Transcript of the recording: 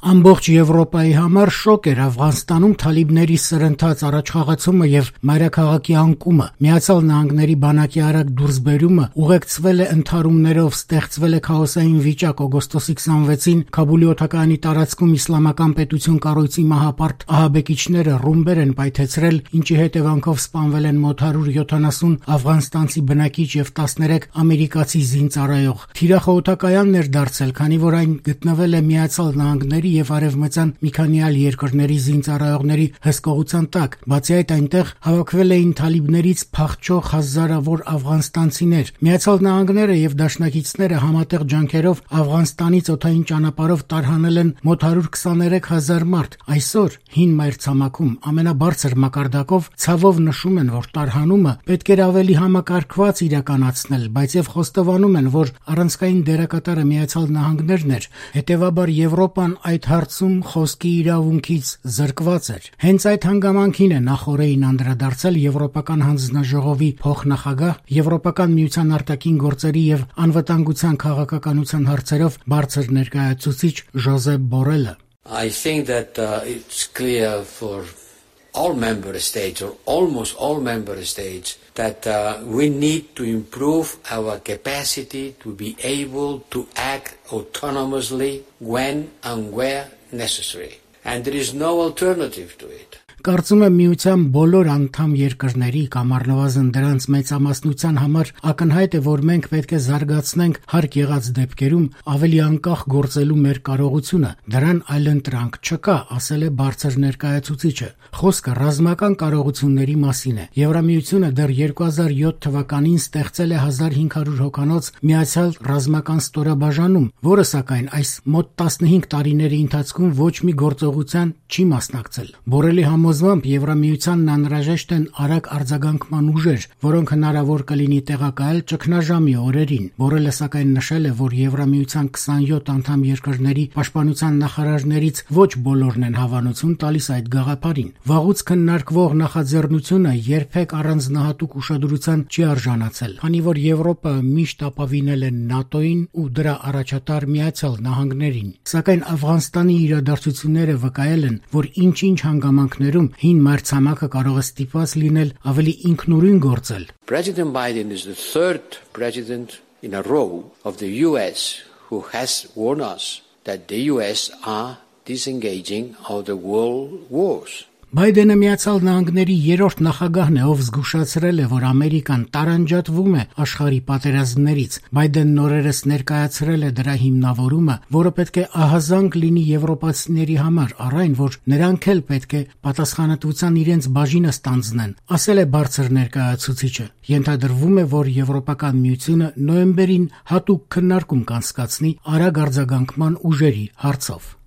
Ամբողջ Եվրոպայի համար շոկ էր Աֆղանստանում թալիբների սրընթաց առաջխաղացումը եւ մայրաքաղաքի անկումը։ Միացյալ Նահանգների բանակի արագ դուրսբերումը ուղեկցվել է ընդհարումներով, ստեղծվել է քաոսային վիճակ։ Օգոստոսի 26-ին Քաբուլի օդակայանի տարածքում Իսլամական պետություն կառույցի մահապարտ ահաբեկիչները ռումբեր են պայթեցրել, ինչի հետևանքով սպանվել են մոտ 170 աֆղանստանցի բնակիչ եւ 13 ամերիկացի զինծառայող։ Թիրախը օդակայանն էր դարձել, քանի որ այն գտնվել է Միացյալ Նահանգների եւ արևմտյան մի քանի այլ երկրների զինծառայողների հսկողության տակ։ Բացի այդ, այնտեղ հավաքվել էին թալիբներից փախչող հազարավոր աֆղանստանցիներ։ Միացյալ Նահանգները եւ դաշնակիցները համատեղ ջանքերով Աֆղանստանից օդային ճանապարհով տարհանել են մոտ 123,000 մարդ։ Այսօր հին մայրցամաքում ամենաբարձր մակարդակով ցավով նշում են, որ տարհանումը պետք էր ավելի համակարգված իրականացնել, բայց եւ խոստովանում են, որ առանցքային դերակատարը Միացյալ Նահանգներն էր, հետեւաբար Եվրոպան այդ հարցում խոսքի իրավունքից զրկված էր։ Հենց այդ հանգամանքին է նախօրեին անդրադարձել Եվրոպական հանձնաժողովի փոխնախագահ, Եվրոպական միության արտաքին գործերի եւ անվտանգության քաղաքականության հարցերով բարձր ներկայացուցիչ Ժոզեփ Բորելը։ I think that it's clear for all member states or almost all member states that we need to improve our capacity to be able to act autonomously when and where necessary. And there is no alternative to it. Կարծում եմ միության բոլոր անդամ երկրների կամ առնվազն դրանց մեծամասնության համար ակնհայտ է, որ մենք պետք է զարգացնենք հարկ եղած դեպքերում ավելի անկախ գործելու մեր կարողությունը։ Դրան այլընտրանք չկա, ասել է բարձր ներկայացուցիչը։ Խոսքը ռազմական կարողությունների մասին է։ Եվրամիությունը դեռ 2007 թվականին ստեղծել է 1500 հոգանոց միացյալ ռազմական ստորաբաժանում, որը սակայն այս մոտ 15 տարիների ընթացքում ոչ մի գործողության չի մասնակցել։ Բորելի համոզմամբ Եվրամիությանն անհրաժեշտ են արագ արձագանքման ուժեր, որոնք հնարավոր կլինի տեղակայել ճգնաժամի օրերին։ Բորելը սակայն նշել է, որ Եվրամիության 27 անդամ երկրների պաշտպանության նախարարներից ոչ բոլորն են հավանություն տալիս այդ գաղափարին։ Վաղուց քննարկվող նախաձեռնությունը երբեք առանձնահատուկ ուշադրության չի արժանացել, քանի որ Եվրոպա միշտ ապավինել է ՆԱՏՕ-ին ու դրա առաջատար Միացյալ Նահանգներին։ Սակայն Աֆղանստանի իրադարձությունները վկայել են, որ ինչ-ինչ հանգամանքներում հին մայրցամաքը կարող է ստիպված լինել ավելի ինքնուրույն գործել։ President Biden is the third president in a row of the US who has warned us that the US are disengaging of the world wars. Բայդենը Միացյալ Նահանգների երրորդ նախագահն է, ով զգուշացրել է, որ Ամերիկան տարանջատվում է աշխարհի պատերազմներից։ Բայդենն օրերս ներկայացրել է դրա հիմնավորումը, որը պետք է ահազանգ լինի եվրոպացիների համար, առ այն, որ նրանք էլ պետք է պատասխանատվության իրենց բաժինը ստանձնեն, ասել է բարձր ներկայացուցիչը։ Ենթադրվում է, որ Եվրոպական միությունը նոյեմբերին հատուկ քննարկում կանցկացնի արագ արձագանքման ուժերի հարցով։